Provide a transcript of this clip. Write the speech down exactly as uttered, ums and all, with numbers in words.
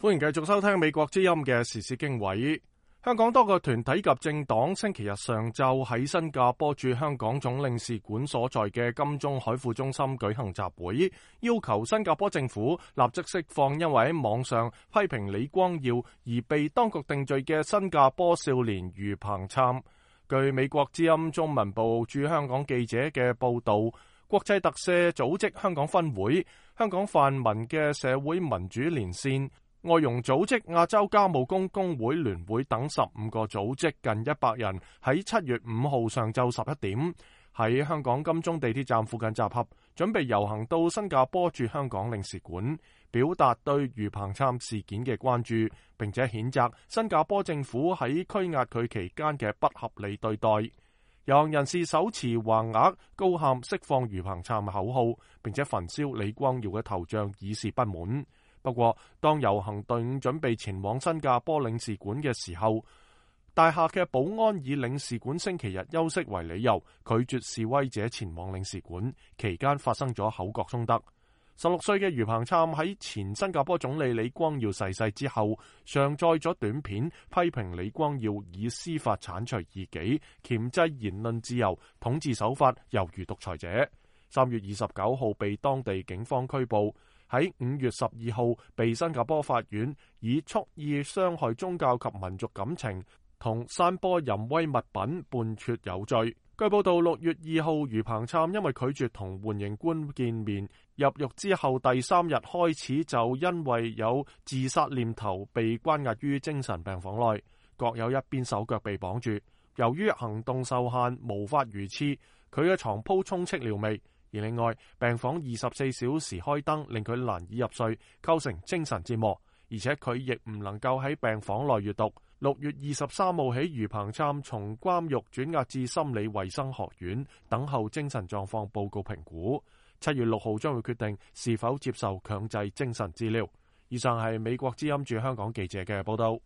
歡迎繼續收聽美國之音嘅時事經緯。香港多個團體及政黨星期日上晝喺新加坡駐香港總領事館所在嘅金鐘海富中心舉行集會，要求新加坡政府立即釋放因為喺網上批評李光耀而被當局定罪嘅新加坡少年余彭琛。據美國之音中文部駐香港記者嘅報道，國際特赦組織香港分會、香港泛民嘅社會民主連線、外傭組織亞洲家務工工會聯會等十五個組織近一百人喺七月五號上晝十一點喺香港金鐘地鐵站附近集合，準備遊行到新加坡駐香港領事館，表達對余彭琛事件嘅關注，並且譴責新加坡政府喺拘押佢期間嘅不合理對待。遊行人士手持橫額，高喊釋放余彭琛口號，並且焚燒李光耀嘅頭像，以示不滿。不過，當遊行隊伍準備前往新加坡領事館嘅時候，大廈嘅保安以領事館星期日休息為理由，拒絕示威者前往領事館。期間發生咗口角衝突。十六歲嘅余彭琛喺前新加坡總理李光耀逝世之後，上載咗短片，批評李光耀以司法剷除異己，鉗制言論自由，統治手法猶如獨裁者。三月二十九號被當地警方拘捕。喺五月十二號被新加坡法院以蓄意傷害宗教及民族感情同散播淫穢物品判決有罪。據報道，六月二號余彭琛因為拒絕同緩刑官見面，入獄之後第三日開始就因為有自殺念頭被關押於精神病房內，各有一邊手腳被綁住。由於行動受限，無法如廁，佢嘅床鋪充斥尿味。而另外，病房二十四小時開燈，令佢難以入睡，構成精神折磨。而且佢亦唔能夠喺病房內閱讀。六月二十三號起，余彭琛從監獄轉押至心理衛生學院，等候精神狀況報告評估。七月六號將會決定是否接受強制精神治療。以上係美國之音駐香港記者嘅報道。